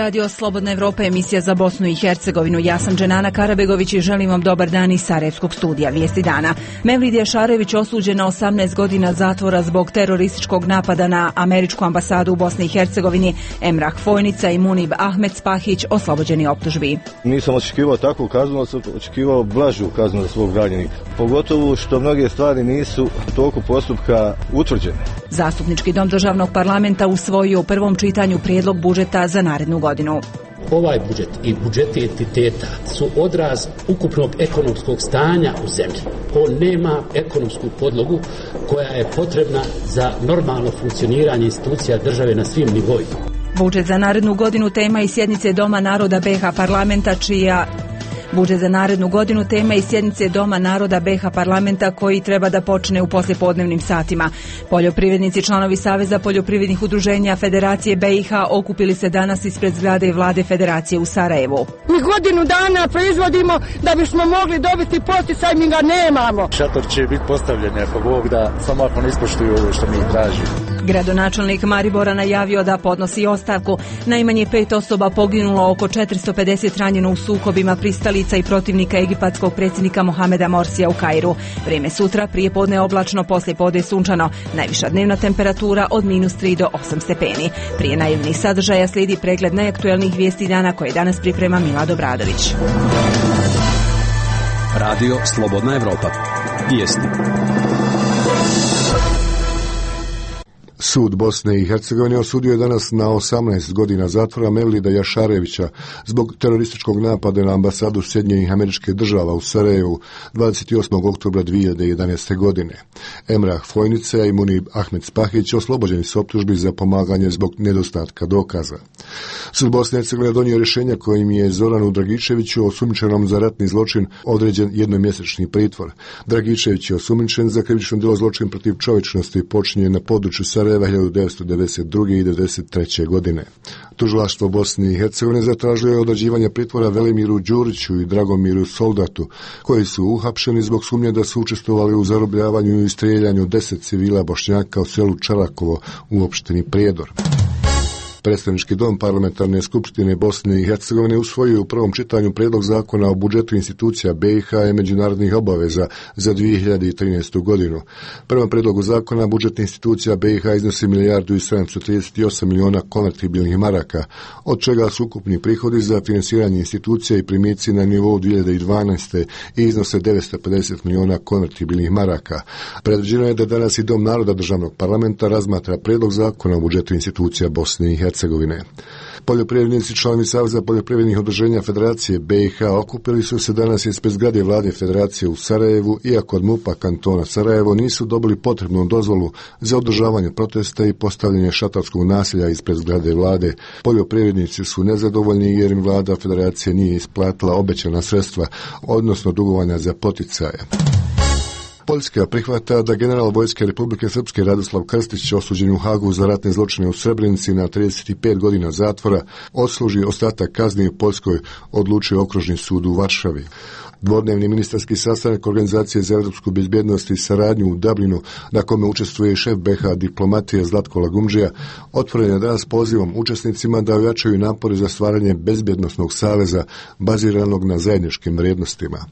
Radio Slobodna Evropa, emisija za Bosnu i Hercegovinu. Ja sam Dženana Karabegović i želim vam dobar dan iz Sarajevskog studija. Vijesti dana. Mevlid Jašarević osuđen na 18 godina zatvora zbog terorističkog napada na američku ambasadu u Bosni i Hercegovini. Emrah Fojnica i Munib Ahmed Spahić oslobođeni optužbi. Nisam očekivao takvu kaznu, sam očekivao blažu kaznu za svog ranjenika. Pogotovo što mnoge stvari nisu u toku postupka utvrđene. Zastupnički dom državnog parlamenta usvojio u prvom čitanju prijedlog budžeta za narednu godinu. Ovaj budžet i budžeti entiteta su odraz ukupnog ekonomskog stanja u zemlji. On nema ekonomsku podlogu koja je potrebna za normalno funkcioniranje institucija države na svim nivoima. Budžet za narednu godinu tema i sjednice Doma naroda BiH parlamenta Budžet za narednu godinu tema i sjednice Doma naroda BiH parlamenta koji treba da počne u poslijepodnevnim satima. Poljoprivrednici, članovi Saveza poljoprivrednih udruženja Federacije BiH okupili se danas ispred zgrade vlade Federacije u Sarajevu. Mi godinu dana proizvodimo da bismo mogli dobiti poticaj, mi ga nemamo. Šator će biti postavljen ako Bog da, samo ako ne ispoštuju ovo što mi traži. Gradonačelnik Maribora najavio da podnosi ostavku. Najmanje 5 osoba poginulo, oko 450 ranjeno u sukobima pristalica i protivnika egipatskog predsjednika Mohameda Morsija u Kairu. Vrijeme sutra, prije podne oblačno, poslije podne sunčano. Najviša dnevna temperatura od -3 do 8 stepeni. Prije najavljenih sadržaja slijedi pregled najaktuelnijih vijesti dana koje danas priprema Milad Obradović. Radio Slobodna Evropa. Vijesti. Sud Bosne i Hercegovine osudio je danas na 18 godina zatvora Mevlida Jašarevića zbog terorističkog napada na ambasadu Sjedinjenih Američkih Država u Sarajevu 28. oktobra 2011. godine. Emrah Fojnica i Munib Ahmed Spahić oslobođeni su optužbi za pomaganje zbog nedostatka dokaza. Sud Bosne i Hercegovine donio rješenja kojim je Zoranu Dragičeviću, osumnjičenom za ratni zločin, određen jednomjesečni pritvor. Dragičević je osumnjičen za krivično djelo zločin protiv čovječnosti počinjen na području Sarajeva 1992. i 1993. godine. Tužilaštvo Bosne i Hercegovine zatražilo je određivanje pritvora Velimiru Đuriću i Dragomiru Soldatu, koji su uhapšeni zbog sumnje da su učestvovali u zarobljavanju i streljanju 10 civila Bošnjaka u selu Čarakovo u opštini Prijedor. Predstavnički dom parlamentarne skupštine Bosne i Hercegovine usvojio u prvom čitanju prijedlog zakona o budžetu institucija BiH i međunarodnih obaveza za 2013. godinu. Prema prijedlogu zakona budžet institucija BiH iznosi 1.738 miliona konvertibilnih maraka, od čega su ukupni prihodi za finansiranje institucija i primici na nivou 2012. i iznose 950 miliona konvertibilnih maraka. Predviđeno je da danas i Dom naroda državnog parlamenta razmatra prijedlog zakona o budžetu institucija Bosne i Hercegovine. Poljoprivrednici, članovi Saveza poljoprivrednih udruženja Federacije BiH okupili su se danas ispred zgrade vlade Federacije u Sarajevu, iako od MUP-a kantona Sarajevo nisu dobili potrebnu dozvolu za održavanje protesta i postavljanje šatorskog naselja ispred zgrade vlade. Poljoprivrednici su nezadovoljni jer im vlada Federacije nije isplatila obećana sredstva, odnosno dugovanja za poticaje. Poljska prihvata da general Vojske Republike Srpske Radoslav Krstić, osuđen u Hagu za ratne zločine u Srebrenici na 35 godina zatvora, odsluži ostatak kazni u Poljskoj, odlučio Okružni sud u Varšavi. Dvodnevni ministarski sastanak Organizacije za europsku bezbjednost i saradnju u Dublinu, na kome učestvuje šef BiH diplomatije Zlatko Lagumdžija, otvoren je danas pozivom učesnicima da ojačaju napore za stvaranje bezbjednosnog saveza baziranog na zajedničkim vrijednostima.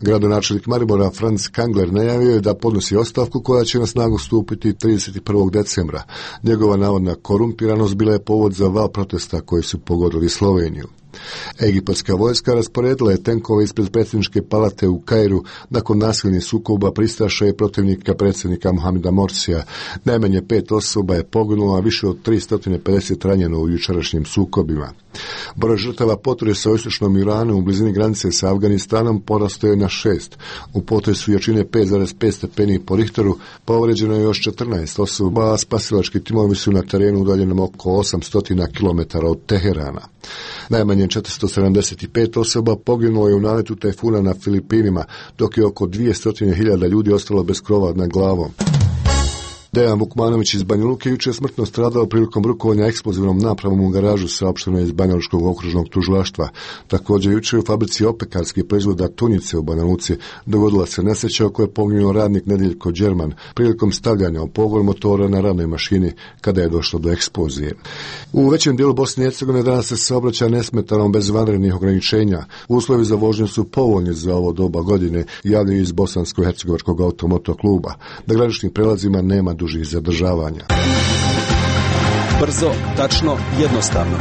Gradonačelnik Maribora Franz Kangler najavio je da podnosi ostavku koja će na snagu stupiti 31. decembra. Njegova navodna korumpiranost bila je povod za val protesta koji su pogodili Sloveniju. Egipatska vojska rasporedila je tenkove ispred predsjedničke palate u Kairu nakon nasilnih sukoba pristaša i protivnika predsjednika Mohameda Morsija. Najmanje 5 osoba je poginulo, a više od 350 ranjeno u jučerašnjim sukobima. Broj žrtava potresa u istočnom Iranu u blizini granice sa Afganistanom porastao je na 6. U potresu jačine 5,5 stepeni po Richteru povređeno je još 14 osoba, a spasilački timovi su na terenu udaljenom oko 800 km od Teherana. Najmanje 475 osoba poginulo je u naletu tajfuna na Filipinima, dok je oko 200.000 ljudi ostalo bez krova nad glavom. Dejan Vukmanović iz Banja Luke jučer je smrtno stradao prilikom rukovanja eksplozivnom napravom u garažu, saopšteno je iz Banjalučkog okružnog tužilaštva. Također jučer u fabrici opekarskih proizvoda Tunjice u Banja Luci dogodila se nesreća u kojoj je poginuo radnik Nedeljko Đerman prilikom stavljanja u pogon motora na radnoj mašini kada je došlo do eksplozije. U većem dijelu Bosne i Hercegovine danas se saobraća nesmetano bez vanrednih ograničenja. Uslovi za vožnju su povoljni za ovo doba godine, javljaju iz Bosansko-hercegovačkog automotokluba. Na graničnim prelazima nema dužih zadržavanja. Brzo, tačno, jednostavno.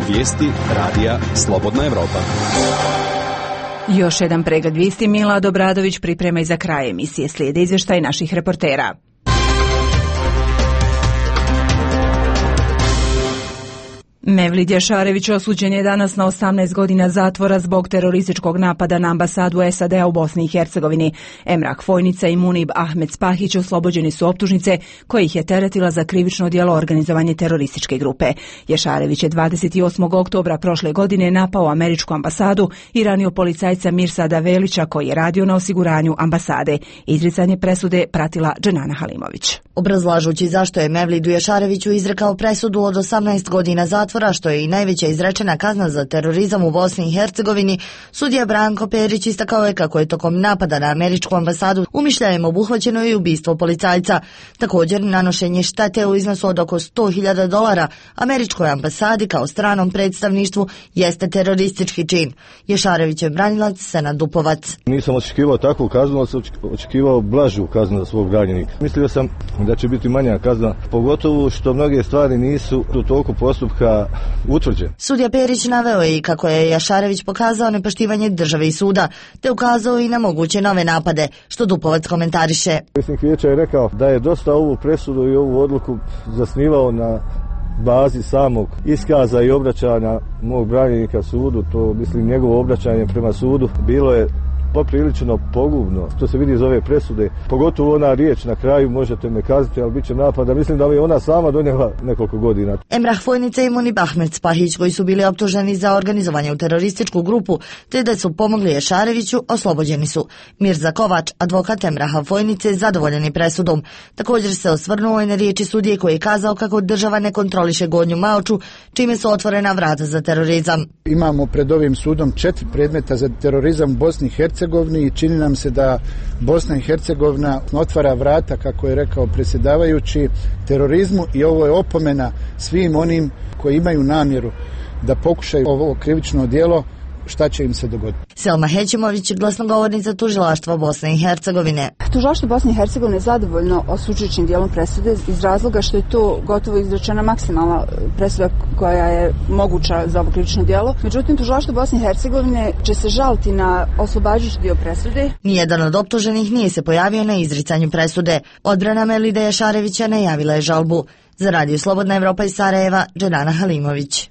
Vijesti radija Slobodna Evropa. Još jedan pregled vijesti Milad Obradović priprema i za kraj emisije. Slijede izvještaj naših reportera. Mevlid Jašarević osuđen je danas na 18 godina zatvora zbog terorističkog napada na ambasadu SAD-a u Bosni i Hercegovini. Emrah Fojnica i Munib Ahmed Spahić oslobođeni su optužnice koje ih je teretila za krivično djelo organizovanje terorističke grupe. Jašarević je 28. oktobra prošle godine napao američku ambasadu i ranio policajca Mirsada Velića koji je radio na osiguranju ambasade. Izricanje presude pratila Dženana Halimović. Obrazlažući zašto je Mevlidu Jašareviću izrekao presudu od 18 godina zatvora, što je i najveća izrečena kazna za terorizam u Bosni i Hercegovini, sudija Branko Perić istakao je kako je tokom napada na američku ambasadu umišljajem obuhvaćeno i ubistvo policajca. Također, nanošenje štete u iznosu od oko $100.000 američkoj ambasadi kao stranom predstavništvu jeste teroristički čin. Jašarevićev branilac Senad Dupovac. Nisam očekivao takvu kaznu, ali sam očekivao blažu kaznu za svog branjenika. Mislio sam da će biti manja kazna, pogotovo što mnoge stvari nisu u toku postupka utvrđene. Sudija Perić naveo je i kako je Jašarević pokazao nepoštivanje države i suda, te ukazao i na moguće nove napade, što Dupovac komentariše. Predsjednik vijeća je rekao da je dosta ovu presudu i ovu odluku zasnivao na bazi samog iskaza i obraćanja mog branjenika sudu. To mislim njegovo obraćanje prema sudu bilo je poprilično pogubno, što se vidi iz ove presude. Pogotovo ona riječ na kraju, možete me kazati, ali bit će napada. Mislim da je ona sama donijela nekoliko godina. Emrah Fojnica i Munib Ahmed Spahić, koji su bili optuženi za organizovanje u terorističku grupu, te da su pomogli Jašareviću, oslobođeni su. Mirza Kovač, advokat Emraha Fojnice, zadovoljen je presudom. Također se osvrnuo i na riječi sudije koji je kazao kako država ne kontroliše Gornju Maoču, čime su otvorena vrata za terorizam. Imamo pred ovim sudom 4 predmeta za terorizam u Bosni i Hercegovini i čini nam se da Bosna i Hercegovina otvara vrata, kako je rekao predsjedavajući, terorizmu, i ovo je opomena svim onim koji imaju namjeru da pokušaju ovo krivično djelo, šta će im se dogoditi. Selma Hećimović, glasnogovornica tužilaštva Bosne i Hercegovine. Tužilaštvo Bosne i Hercegovine je zadovoljno osuđujućim dijelom presude iz razloga što je to gotovo izrečena maksimalna presuda koja je moguća za ovo krivično djelo. Međutim, tužilaštvo Bosne i Hercegovine će se žaliti na oslobađajući dio presude. Nijedan od optuženih nije se pojavio na izricanju presude. Odbrana Mevlida Jašarevića najavila je žalbu. Za Radio Slobodna Evropa iz Sarajeva, Dženana Halimović.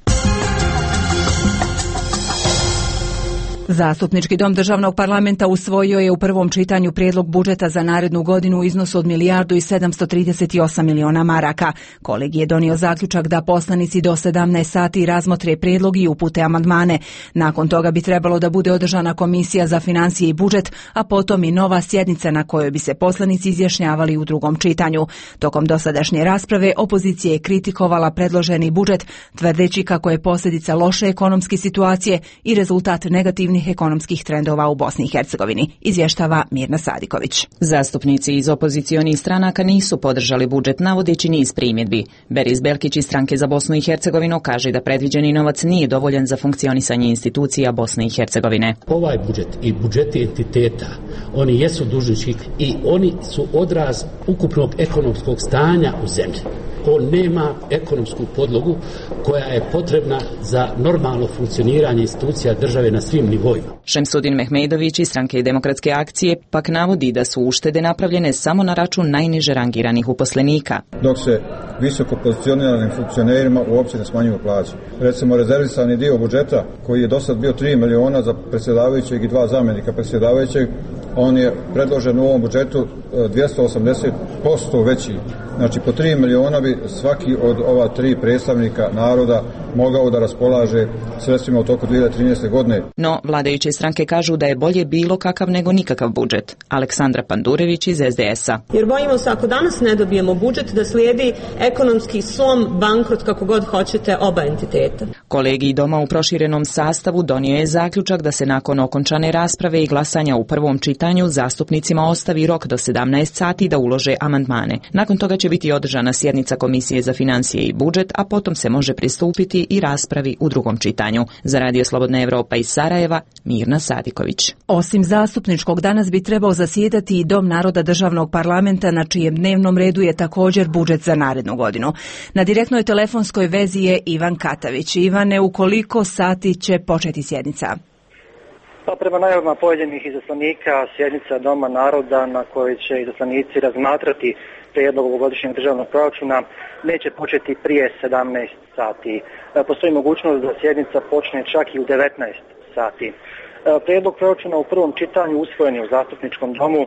Zastupnički dom državnog parlamenta usvojio je u prvom čitanju prijedlog budžeta za narednu godinu u iznosu od 1.738 miliona maraka. Kolegij je donio zaključak da poslanici do 17 sati razmotre prijedlog i upute amandmane. Nakon toga bi trebalo da bude održana komisija za financije i budžet, a potom i nova sjednica na kojoj bi se poslanici izjašnjavali u drugom čitanju. Tokom dosadašnje rasprave opozicija je kritikovala predloženi budžet, tvrdeći kako je posljedica loše ekonomske situacije i rezultat negativnih ekonomskih trendova u Bosni i Hercegovini, izvještava Mirna Sadiković. Zastupnici iz opozicionih stranaka nisu podržali budžet, navodeći niz primjedbi. Beris Belkić iz Stranke za Bosnu i Hercegovinu kaže da predviđeni novac nije dovoljan za funkcionisanje institucija Bosne i Hercegovine. Ovaj budžet i budžeti entiteta, oni jesu dužnički i oni su odraz ukupnog ekonomskog stanja u zemlji. On nema ekonomsku podlogu koja je potrebna za normalno funkcioniranje institucija države na svim nivoima. Šemsudin Mehmedović iz Stranke demokratske akcije pak navodi da su uštede napravljene samo na račun najniže rangiranih uposlenika. Dok se visoko pozicioniranim funkcionerima uopće ne smanjuju plaće. Recimo, rezervisani dio budžeta koji je dosad bio 3 miliona za predsjedavajućeg i 2 zamjenika predsjedavajućeg, on je predložen u ovom budžetu 280% veći. Znači, po 3 miliona bi svaki od ova 3 predstavnika naroda mogao da raspolaže sredstvima u toku 2013. godine. No, vladajuće stranke kažu da je bolje bilo kakav nego nikakav budžet. Aleksandra Pandurević iz SDS-a. Jer bojimo se ako danas ne dobijemo budžet da slijedi ekonomski slom, bankrot, kako god hoćete, oba entiteta. Kolegij doma u proširenom sastavu donio je zaključak da se nakon okončane rasprave i glasanja u prvom čitanju zastupnicima ostavi rok do 17 sati da ulože amandmane. Nakon toga će biti održana sjednica Komisije za financije i budžet, a potom se može pristupiti i raspravi u drugom čitanju. Za Radio Slobodna Evropa iz Sarajeva, Mirna Sadiković. Osim zastupničkog, danas bi trebao zasjedati i Dom naroda državnog parlamenta, na čijem dnevnom redu je također budžet za narednu godinu. Na direktnoj telefonskoj vezi je Ivan Katavić. Ivane, u koliko sati će početi sjednica? Pa prema najavama pojedinih izaslanika, sjednica Doma naroda na kojoj će izaslanici razmatrati prijedlog ovogodišnjeg državnog proračuna neće početi prije 17 sati. Postoji mogućnost da sjednica počne čak i u 19 sati. Prijedlog proračuna u prvom čitanju usvojen je u zastupničkom domu,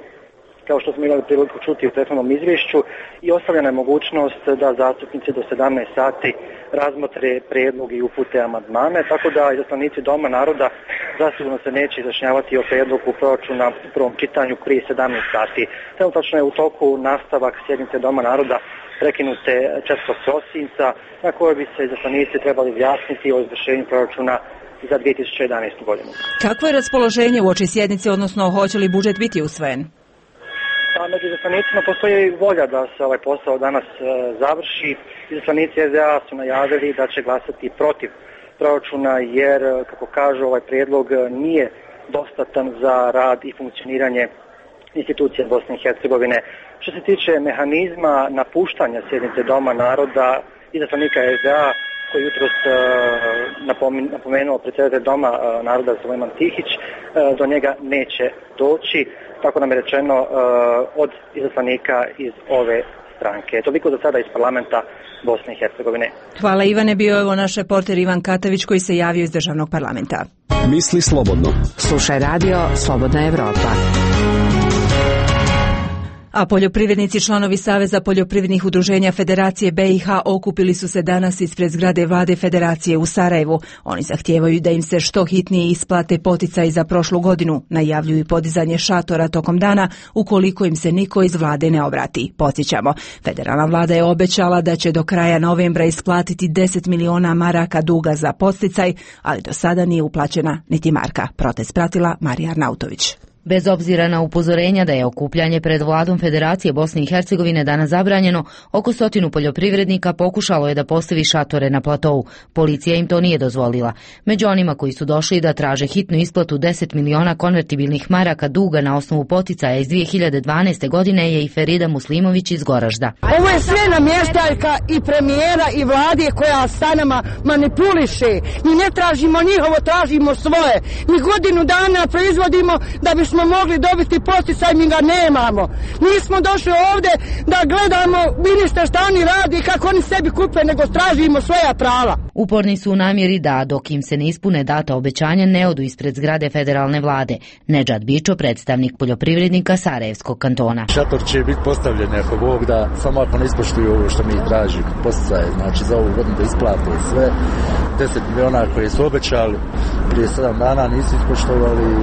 kao što smo imali priliku čuti u prethodnom izvješću, i ostavljena je mogućnost da zastupnici do 17 sati razmotre prijedlog i upute amandmane, tako da izaslanici Doma naroda zasigurno se neće izjašnjavati o prijedlogu proračuna u prvom čitanju prije 17 sati. Trenutačno je u toku nastavak sjednice Doma naroda prekinute 4. prosinca, na kojoj bi se izaslanici trebali izjasniti o izvršenju proračuna za 2011. godinu. Kakvo je raspoloženje uoči sjednice, odnosno hoće li budžet biti usvojen? Među izaslanicima postoji volja da se ovaj posao danas završi. Izaslanici SDA su najavili da će glasati protiv proračuna jer, kako kažu, ovaj prijedlog nije dostatan za rad i funkcioniranje institucija Bosne i Hercegovine. Što se tiče mehanizma napuštanja sjednice Doma naroda, izaslanika SDA koji jutros napomenuo predsjedatelj Doma naroda Sulejman Tihić, do njega neće doći. Tako nam je rečeno od izaslanika iz ove stranke. Toliko za sada iz parlamenta Bosne i Hercegovine. Hvala Ivane, bio je ovo naš reporter Ivan Katavić koji se javio iz državnog parlamenta. Misli slobodno. Slušaj Radio Slobodna Evropa. A poljoprivrednici, članovi Saveza poljoprivrednih udruženja Federacije BiH, okupili su se danas ispred zgrade Vlade Federacije u Sarajevu. Oni zahtijevaju da im se što hitnije isplate poticaji za prošlu godinu. Najavljuju podizanje šatora tokom dana ukoliko im se niko iz vlade ne obrati. Podsjećamo, federalna vlada je obećala da će do kraja novembra isplatiti 10 miliona maraka duga za podsticaj, ali do sada nije uplaćena niti marka. Protest pratila Marija Arnautović. Bez obzira na upozorenja da je okupljanje pred vladom Federacije Bosne i Hercegovine danas zabranjeno, oko 100 poljoprivrednika pokušalo je da postavi šatore na platovu. Policija im to nije dozvolila. Među onima koji su došli da traže hitnu isplatu 10 miliona konvertibilnih maraka duga na osnovu poticaja iz 2012. godine je i Ferida Muslimović iz Goražda. Ovo je sve namještaljka i premijera i vlade koja sa nama manipuliše. Mi ne tražimo njihovo, tražimo svoje. Mi godinu dana proizvodimo da bi smo mogli dobiti poticaj, mi ga nemamo. Nismo došli ovdje da gledamo ministra šta oni radi i kako oni sebi kupe, nego tražimo svoja prava. Uporni su u namjeri da, dok im se ne ispune data obećanja, ne odu ispred zgrade federalne vlade. Nedžad Bičo, predstavnik poljoprivrednika Sarajevskog kantona. Šator će biti postavljen ako Bog da, samo ako ne ispoštuju ovo što mi tražimo. Poticaje, znači za ovu godinu da isplate sve. 10 miliona koje su obećali prije 7 dana nisu ispoštovali,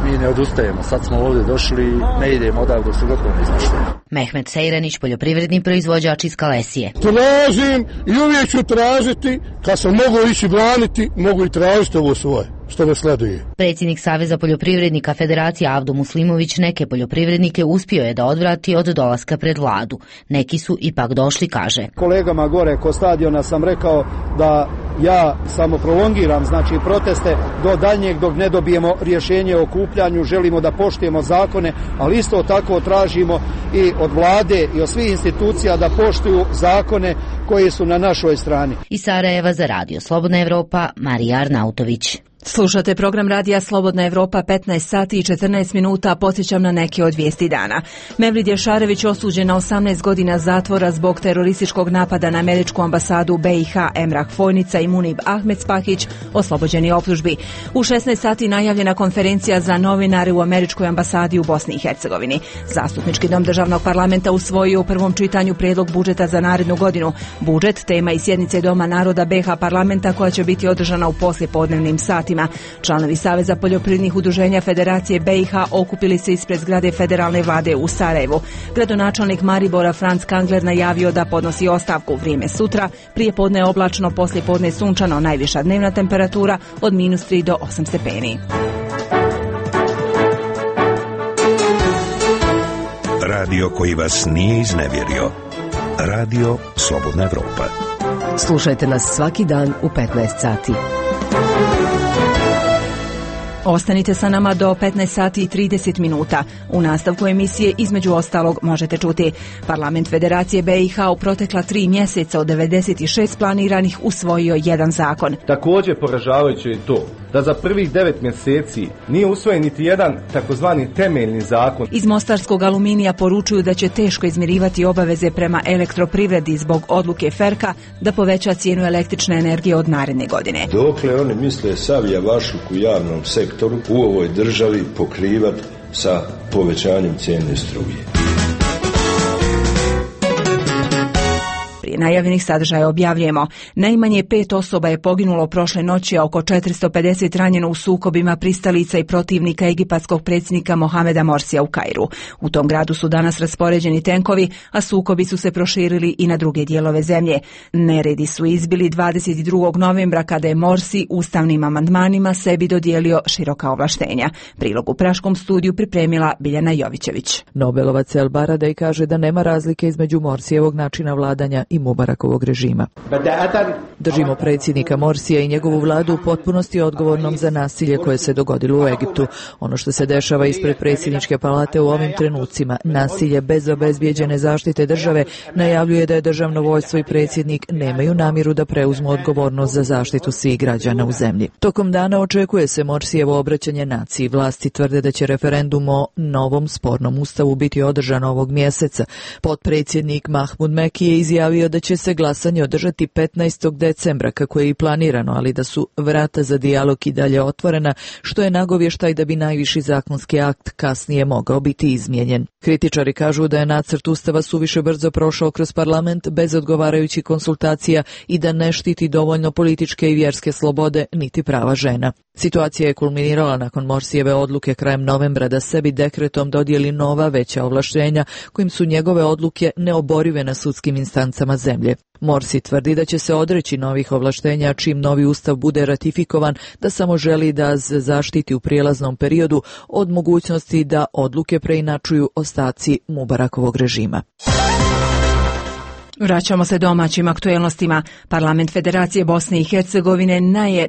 mi ne odustajemo. Sad smo ovdje došli, ne idemo odavde dok se gotovo ne ispoštujemo. Mehmet Sejranić, poljoprivredni proizvođač iz Kalesije. Tražim i uvijek ću tražiti, kad sam mogu ići braniti, mogu i tražiti ovo svoje, što me sleduje. Predsjednik Saveza poljoprivrednika Federacije Avdo Muslimović neke poljoprivrednike uspio je da odvrati od dolaska pred vladu. Neki su ipak došli, kaže. Kolegama gore kod stadiona sam rekao da ja samo prolongiram, znači proteste do daljnjeg dok ne dobijemo rješenje o okupljanju, želimo da poštujemo zakone, ali isto tako tražimo i od vlade i od svih institucija da poštuju zakone koji su na našoj strani. Iz Sarajeva za Radio Slobodna Evropa, Marija Arnautović. Slušate program radija Slobodna Evropa, 15 sati i 14 minuta, podsjećam na neke od vijesti dana. Mevlid Jašarević osuđen na 18 godina zatvora zbog terorističkog napada na američku ambasadu BiH. Emrah Fojnica i Munib Ahmed Spahić oslobođeni optužbi. U 16 sati najavljena konferencija za novinare u američkoj ambasadi u Bosni i Hercegovini. Zastupnički dom državnog parlamenta usvojio u prvom čitanju prijedlog budžeta za narednu godinu. Budžet, tema i sjednice Doma naroda BiH parlamenta koja će biti održana u poslijepodnevnim satima. Članovi Saveza poljoprivrednih udruženja Federacije BiH okupili se ispred zgrade federalne vlade u Sarajevu. Gradonačelnik Maribora Franz Kangler najavio da podnosi ostavku. Vrijeme sutra, prije podne je oblačno, poslije podne sunčano, najviša dnevna temperatura od -3 do 8 stepeni. Radio koji vas nije iznevjerio. Radio Slobodna Evropa. Slušajte nas svaki dan u 15 sati. Ostanite sa nama do 15 sati i 30 minuta. U nastavku emisije između ostalog možete čuti: Parlament Federacije BiH u protekla 3 mjeseca od 96 planiranih usvojio jedan zakon. Također poražavajuće je to da za prvih 9 mjeseci nije usvojen niti jedan takozvani temeljni zakon. Iz Mostarskog aluminija poručuju da će teško izmirivati obaveze prema elektroprivredi zbog odluke Ferka da poveća cijenu električne energije od naredne godine. Dokle oni misle sav javašluk u javnom sektoru u ovoj državi pokrivati sa povećanjem cijene struje? Prije najavljenih sadržaja objavljujemo: najmanje 5 osoba je poginulo prošle noći, a oko 450 ranjeno u sukobima pristalica i protivnika egipatskog predsjednika Mohameda Morsija u Kairu. U tom gradu su danas raspoređeni tenkovi, a sukobi su se proširili i na druge dijelove zemlje. Neredi su izbili 22. novembra kada je Morsi ustavnim amandmanima sebi dodijelio široka ovlaštenja. Prilog u Praškom studiju pripremila Biljana Jovićević. Nobelovac El Baradej kaže da nema razlike između Morsijevog načina vladanja i Mubarakovog režima. Držimo predsjednika Morsija i njegovu vladu u potpunosti odgovornom za nasilje koje se dogodilo u Egiptu. Ono što se dešava ispred predsjedničke palate u ovim trenucima, nasilje bez obezbijeđene zaštite države, najavljuje da je državno vojstvo i predsjednik nemaju namjeru da preuzmu odgovornost za zaštitu svih građana u zemlji. Tokom dana očekuje se Morsijevo obraćanje naciji. Vlasti tvrde da će referendum o novom spornom ustavu biti održan ovog mjeseca. Potpredsjednik Mahmud Meki je izjavio da će se glasanje održati 15. decembra kako je i planirano, ali da su vrata za dijalog i dalje otvorena, što je nagovještaj da bi najviši zakonski akt kasnije mogao biti izmijenjen. Kritičari kažu da je nacrt ustava suviše brzo prošao kroz parlament bez odgovarajućih konsultacija i da ne štiti dovoljno političke i vjerske slobode niti prava žena. Situacija je kulminirala nakon Morsijeve odluke krajem novembra da sebi dekretom dodijeli nova veća ovlaštenja kojim su njegove odluke neoborive na sudskim instancama zemlje. Morsi tvrdi da će se odreći novih ovlaštenja čim novi ustav bude ratifikovan, da samo želi da se zaštiti u prijelaznom periodu od mogućnosti da odluke preinačuju ostaci Mubarakovog režima. Vraćamo se domaćim aktuelnostima. Parlament Federacije Bosne i Hercegovine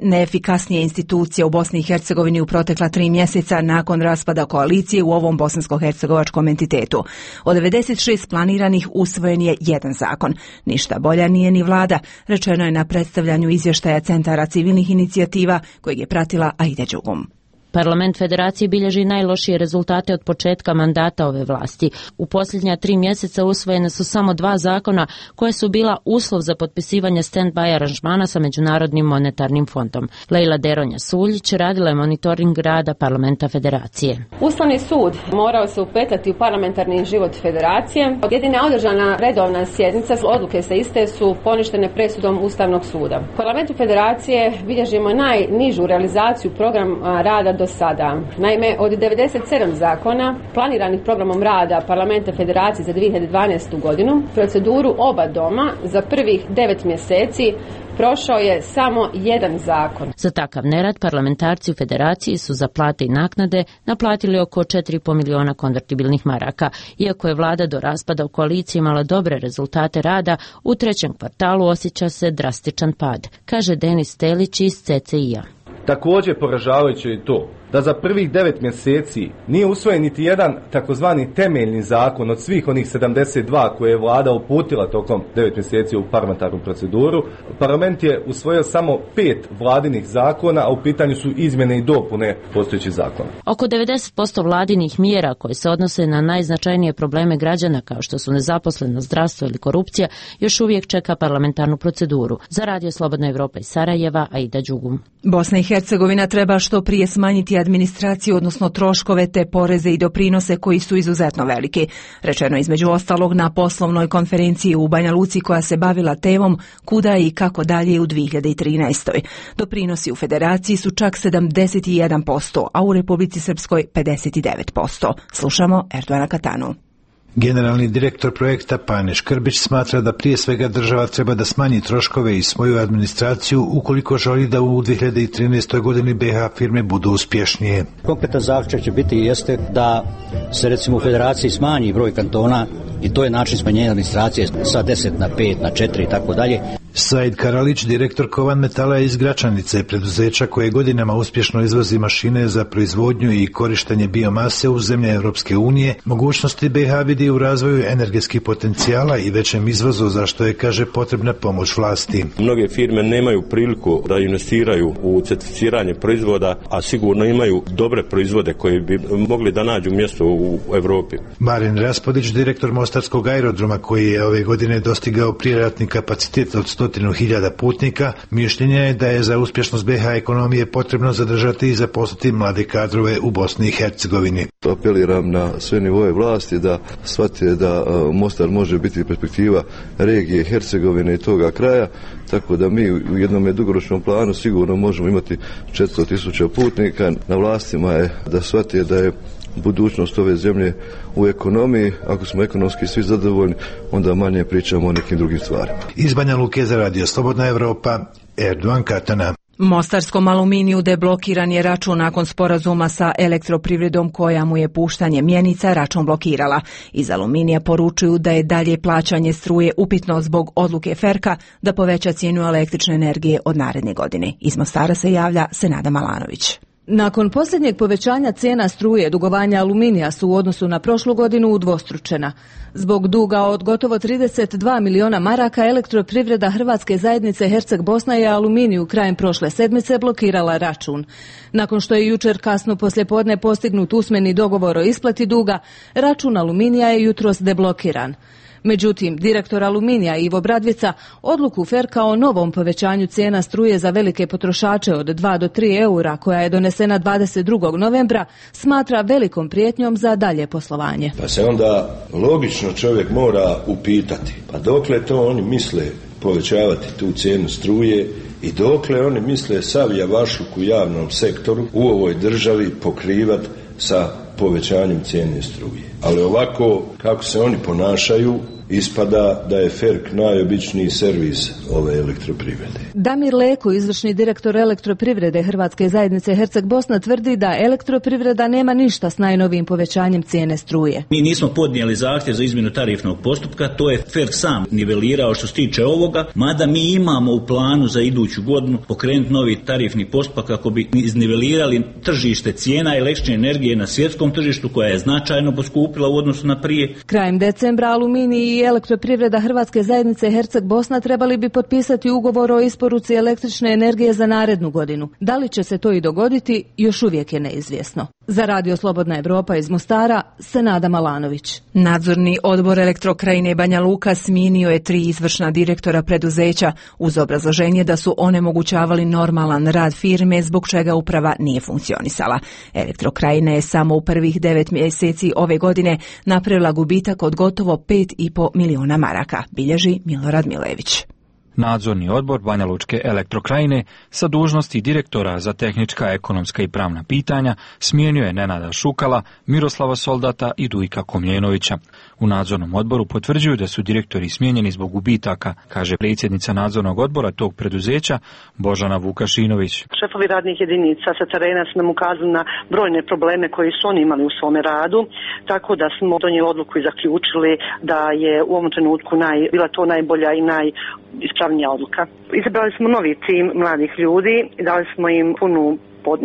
neefikasnije institucija u Bosni i Hercegovini u protekla 3 mjeseca nakon raspada koalicije u ovom bosansko-hercegovačkom entitetu. Od 96 planiranih usvojen je jedan zakon. Ništa bolja nije ni vlada, rečeno je na predstavljanju izvještaja Centara civilnih inicijativa kojeg je pratila Aida Đugum. Parlament Federacije bilježi najlošije rezultate od početka mandata ove vlasti. U posljednja 3 mjeseca usvojene su samo 2 zakona koje su bila uslov za potpisivanje stand-by aranžmana sa Međunarodnim monetarnim fondom. Lejla Deronja Suljić radila je monitoring rada Parlamenta Federacije. Ustavni sud morao se upetati u parlamentarni život Federacije. Jedina održana redovna sjednica, odluke sa iste su poništene presudom Ustavnog suda. U Parlamentu Federacije bilježimo najnižu realizaciju programa rada do sada. Naime, od 97 zakona planiranih programom rada Parlamenta Federacije za 2012. godinu, proceduru oba doma za prvih 9 mjeseci prošao je samo jedan zakon. Za takav nerad parlamentarci u Federaciji su za plate i naknade naplatili oko 4,5 miliona konvertibilnih maraka. Iako je vlada do raspada u koaliciji imala dobre rezultate rada, u 3. kvartalu osjeća se drastičan pad, kaže Denis Telić iz CCI-a. Također poražavajuće je to da za prvih 9 mjeseci nije usvojen niti jedan takozvani temeljni zakon od svih onih 72 koje je vlada uputila tokom 9 mjeseci u parlamentarnu proceduru. Parlament je usvojio samo 5 vladinih zakona, a u pitanju su izmjene i dopune postojećih zakona. Oko 90% vladinih mjera koje se odnose na najznačajnije probleme građana kao što su nezaposlenost, zdravstvo ili korupcija još uvijek čeka parlamentarnu proceduru. Za Radio Slobodna Evropa iz Sarajeva, Aida Đugum. Bosna i Hercegovina treba što prije smanjiti administraciju, odnosno troškove te poreze i doprinose koji su izuzetno veliki. Rečeno između ostalog na poslovnoj konferenciji u Banja Luci koja se bavila temom kuda i kako dalje u 2013. Doprinosi u federaciji su čak 71%, a u Republici Srpskoj 59%. Slušamo Erdoana Katanu. Generalni direktor projekta Pane Škrbić smatra da prije svega država treba da smanji troškove i svoju administraciju ukoliko želi da u 2013. godini BiH firme budu uspješnije. Konkretan zaključak će biti jeste da se recimo u federaciji smanji broj kantona i to je način smanjenja administracije sa 10 na 5 na 4 i tako dalje. Said Karalić, direktor Kovan Metala iz Gračanice, preduzeća koje godinama uspješno izvozi mašine za proizvodnju i korištenje biomase u zemlje Europske unije, mogućnosti BiH vidi u razvoju energetskih potencijala i većem izvozu, za što je, kaže, potrebna pomoć vlasti. Mnoge firme nemaju priliku da investiraju u certificiranje proizvoda, a sigurno imaju dobre proizvode koji bi mogli da nađu mjesto u Europi. Marin Raspodić, direktor Mostarskog aerodroma, koji je ove godine dostigao prijeratni kapacitet od 100.000 putnika, mišljenja je da je za uspješnost BiH ekonomije potrebno zadržati i zaposliti mlade kadrove u Bosni i Hercegovini. Apeliram na sve nivoje vlasti da shvate da Mostar može biti perspektiva regije Hercegovine i toga kraja, tako da mi u jednom dugoročnom planu sigurno možemo imati 400.000 putnika. Na vlastima je da shvate da je budućnost ove zemlje u ekonomiji. Ako smo ekonomski svi zadovoljni, onda manje pričamo o nekim drugim stvarima. Iz Banja Luke za Radio Slobodna Evropa, Erdoan Katana. Mostarskom aluminiju deblokiran je račun nakon sporazuma sa elektroprivredom koja mu je puštanje mjenica račun blokirala. Iz Aluminija poručuju da je dalje plaćanje struje upitno zbog odluke Ferka da poveća cijenu električne energije od naredne godine. Iz Mostara se javlja Senada Malanović. Nakon posljednjeg povećanja cijena struje, dugovanja Aluminija su u odnosu na prošlu godinu udvostručena. Zbog duga od gotovo 32 miliona maraka, elektroprivreda Hrvatske zajednice Herceg Bosna je Aluminiju krajem prošle sedmice blokirala račun. Nakon što je jučer kasno poslijepodne postignut usmeni dogovor o isplati duga, račun Aluminija je jutros deblokiran. Međutim, direktor Aluminija Ivo Bradvica odluku Ferka o novom povećanju cijena struje za velike potrošače od 2 do 3 eura koja je donesena 22. novembra smatra velikom prijetnjom za dalje poslovanje. Pa se onda logično čovjek mora upitati, pa dokle to oni misle povećavati tu cijenu struje i dokle oni misle sav javašluk u javnom sektoru u ovoj državi pokrivati sa povećanjem cijene struje. Ali ovako kako se oni ponašaju, ispada da je Ferk najobičniji servis ove elektroprivrede. Damir Leko, izvršni direktor elektroprivrede Hrvatske zajednice Herceg Bosna, tvrdi da elektroprivreda nema ništa s najnovijim povećanjem cijene struje. Mi nismo podnijeli zahtjev za izmjenu tarifnog postupka, to je Ferk sam nivelirao što se tiče ovoga, mada mi imamo u planu za iduću godinu pokrenuti novi tarifni postupak kako bi iznivelirali tržište cijena električne energije na svjetskom tržištu koja je značajno poskupila u odnosu na prije. Krajem decembra Aluminij i elektroprivreda Hrvatske zajednice Herceg Bosna trebali bi potpisati ugovor o isporuci električne energije za narednu godinu. Da li će se to i dogoditi, još uvijek je neizvjesno. Za Radio Slobodna Evropa iz Mostara, Senada Malanović. Nadzorni odbor Elektrokrajine Banja Luka smijenio je 3 izvršna direktora preduzeća uz obrazloženje da su onemogućavali normalan rad firme zbog čega uprava nije funkcionisala. Elektrokrajina je samo u prvih 9 mjeseci ove godine napravila gubitak od gotovo 5,5 miliona maraka, bilježi Milorad Milević. Nadzorni odbor Banja Lučke Elektrokrajine sa dužnosti direktora za tehnička, ekonomska i pravna pitanja smijenio je Nenada Šukala, Miroslava Soldata i Dujka Komljenovića. U nadzornom odboru potvrđuju da su direktori smijenjeni zbog gubitaka, kaže predsjednica nadzornog odbora tog preduzeća Božana Vukašinović. Šefovi radnih jedinica sa terena su nam ukazali na brojne probleme koje su oni imali u svome radu, tako da smo donijeli odluku i zaključili da je u ovom trenutku bila to najbolja i najispravnija odluka. Izabrali smo novi tim mladih ljudi i dali smo im punu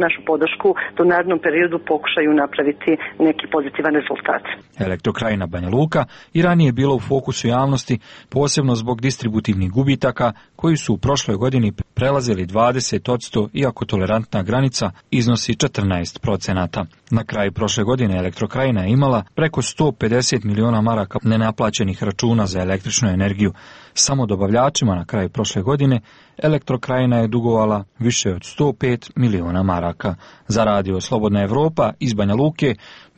našu podršku da u narednom periodu pokušaju napraviti neki pozitivan rezultat. Elektrokrajina Banja Luka i ranije bilo u fokusu javnosti, posebno zbog distributivnih gubitaka koji su u prošloj godini prelazili 20%, iako tolerantna granica iznosi 14%. Na kraju prošle godine Elektrokrajina je imala preko 150 miliona maraka nenaplaćenih računa za električnu energiju. Samo dobavljačima na kraju prošle godine Elektrokrajina je dugovala više od 105 miliona maraka. Za radio Slobodna Evropa iz Banja Luke,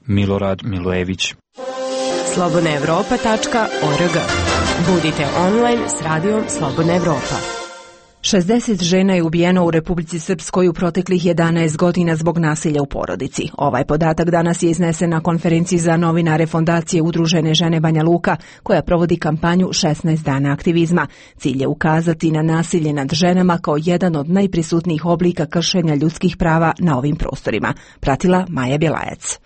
Milorad Milojević. slobodnaevropa.org. Budite online s radijom Slobodna Evropa. 60 žena je ubijeno u Republici Srpskoj u proteklih 11 godina zbog nasilja u porodici. Ovaj podatak danas je iznesen na konferenciji za novinare Fondacije Udružene žene Banja Luka, koja provodi kampanju 16 dana aktivizma. Cilj je ukazati na nasilje nad ženama kao jedan od najprisutnijih oblika kršenja ljudskih prava na ovim prostorima. Pratila Maja Bjelajac.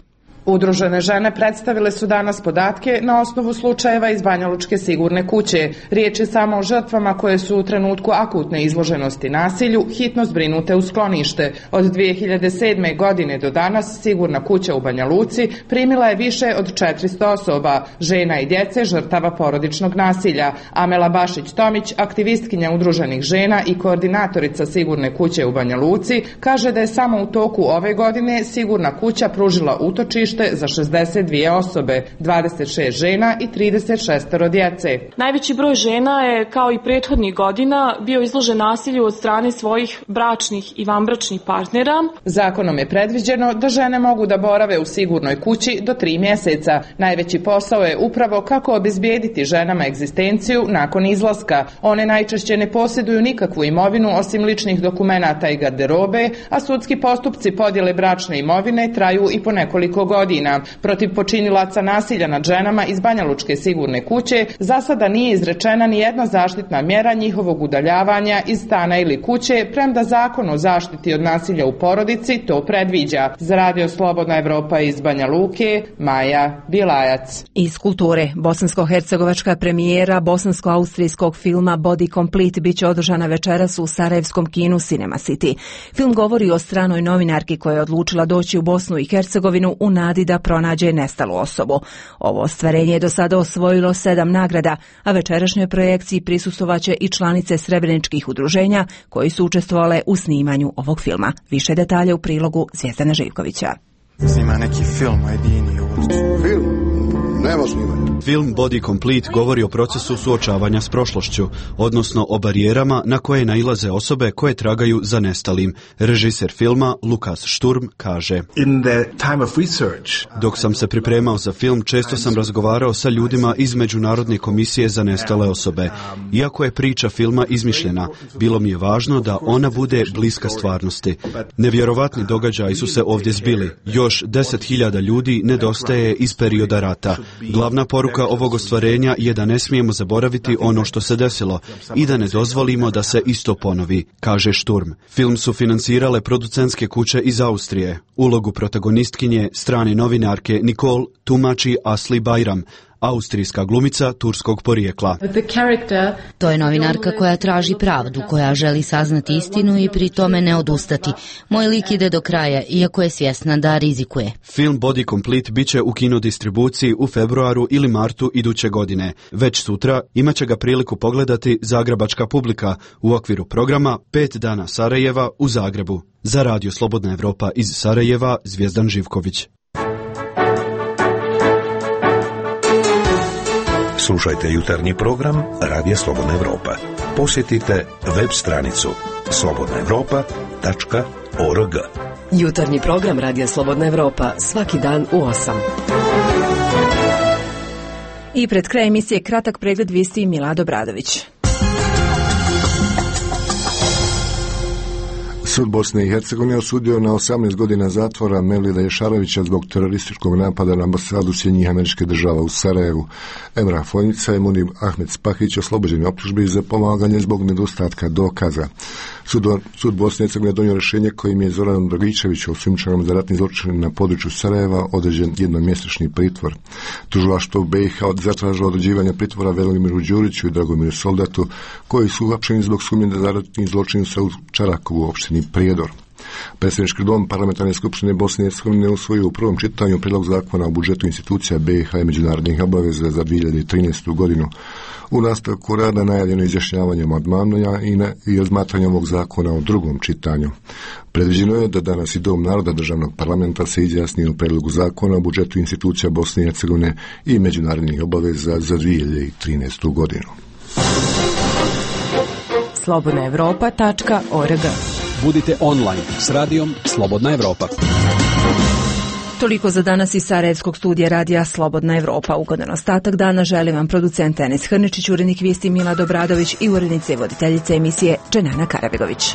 Udružene žene predstavile su danas podatke na osnovu slučajeva iz Banjalučke sigurne kuće. Riječ je samo o žrtvama koje su u trenutku akutne izloženosti nasilju hitno zbrinute u sklonište. Od 2007. godine do danas sigurna kuća u Banja Luci primila je više od 400 osoba, žena i djece žrtava porodičnog nasilja. Amela Bašić-Tomić, aktivistkinja udruženih žena i koordinatorica sigurne kuće u Banja Luci, kaže da je samo u toku ove godine sigurna kuća pružila utočište za 62 osobe, 26 žena i 36 djece. Najveći broj žena je, kao i prethodnih godina, bio izložen nasilju od strane svojih bračnih i vanbračnih partnera. Zakonom je predviđeno da žene mogu da borave u sigurnoj kući do 3 mjeseca. Najveći posao je upravo kako obezbijediti ženama egzistenciju nakon izlaska. One najčešće ne posjeduju nikakvu imovinu osim ličnih dokumenata i garderobe, a sudski postupci podjele bračne imovine traju i po nekoliko godina. Protiv počinilaca nasilja nad ženama iz Banjalučke sigurne kuće za sada nije izrečena ni jedna zaštitna mjera njihovog udaljavanja iz stana ili kuće, premda Zakon o zaštiti od nasilja u porodici to predviđa. Za radio Slobodna Evropa iz Banja Luke, Maja Bjelajac. Iz kulture, bosansko-hercegovačka premijera bosansko-austrijskog filma Body Complete biće održana večeras u sarajevskom kinu Cinema City. Film govori o stranoj novinarki koja je odlučila doći u Bosnu i Hercegovinu u nadi da pronađe nestalu osobu. Ovo ostvarenje je do sada osvojilo 7 nagrada, a večerašnjoj projekciji prisustvovaće i članice srebreničkih udruženja koji su učestvovale u snimanju ovog filma. Više detalja u prilogu Zvijezdana Živkovića. Snima neki film o jedini Film? Nema snimanja. Film Body Complete govori o procesu suočavanja s prošlošću, odnosno o barijerama na koje nailaze osobe koje tragaju za nestalim. Režiser filma Lukas Šturm kaže: Dok sam se pripremao za film, često sam razgovarao sa ljudima iz Međunarodne komisije za nestale osobe. Iako je priča filma izmišljena, bilo mi je važno da ona bude bliska stvarnosti. Nevjerovatni događaji su se ovdje zbili. Još 10.000 ljudi nedostaje iz perioda rata. Glavna poruka ovog ostvarenja je da ne smijemo zaboraviti ono što se desilo i da ne dozvolimo da se isto ponovi, kaže Šturm. Film su financirale producentske kuće iz Austrije. Ulogu protagonistkinje, strane novinarke Nicole, tumači Asli Bayram, austrijska glumica turskog porijekla. To je novinarka koja traži pravdu, koja želi saznati istinu i pri tome ne odustati. Moj lik ide do kraja, iako je svjesna da rizikuje. Film Body Complete biće u kinodistribuciji u februaru ili martu iduće godine. Već sutra imat će ga priliku pogledati zagrebačka publika u okviru programa 5 dana Sarajeva u Zagrebu. Za radio Slobodna Evropa iz Sarajeva, Zvijezdan Živković. Slušajte jutarnji program Radija Slobodna Evropa. Posjetite web stranicu slobodnaevropa.org. Jutarnji program Radija Slobodna Evropa svaki dan u 8. I pred kraj emisije kratak pregled vijesti Milado Bradović. Sud Bosne i Hercegovine osudio na 18 godina zatvora Mevlida Ješarovića zbog terorističkog napada na ambasadu Sjedinjenih Američkih Država u Sarajevu. Emrah Fojnica i Munir Ahmed Spahić oslobođeni optužbi za pomaganje zbog nedostatka dokaza. Sud Bosne i Hercegovine donio rješenje kojim je Zoranom Dragičeviću, osumnjičenom za ratni zločin na području Sarajeva, određen jednomjesečni pritvor. Tužilaštvo BiH zatražilo određivanje pritvora Velimiru Đuriću i Dragomiru Soldatu, koji su uhapšeni zbog sumnje za ratni zločin u Čarakovu, opštini Prijedor. Predsjednički dom Parlamentarne skupštine Bosne i Hercegovine usvojio u prvom čitanju prijedlog zakona o budžetu institucija BiH i međunarodnih obaveza za 2013. godinu. U nastavku rada najavljeno izjašnjavanje amandmana i razmatranje ovog zakona u drugom čitanju. Predviđeno je da danas i Dom naroda državnog parlamenta se izjasni o prijedlogu zakona o budžetu institucija Bosne i Hercegovine i međunarodnih obaveza za 2013. godinu. slobodnaevropa.org. Budite online s radijom Slobodna Evropa. Toliko za danas iz Sarajevskog studija radija Slobodna Evropa. Ugodan ostatak dana želim vam producent Enes Hrničić, urednik vijesti Mila Dobradović i urednica i voditeljica emisije Dženana Karabegović.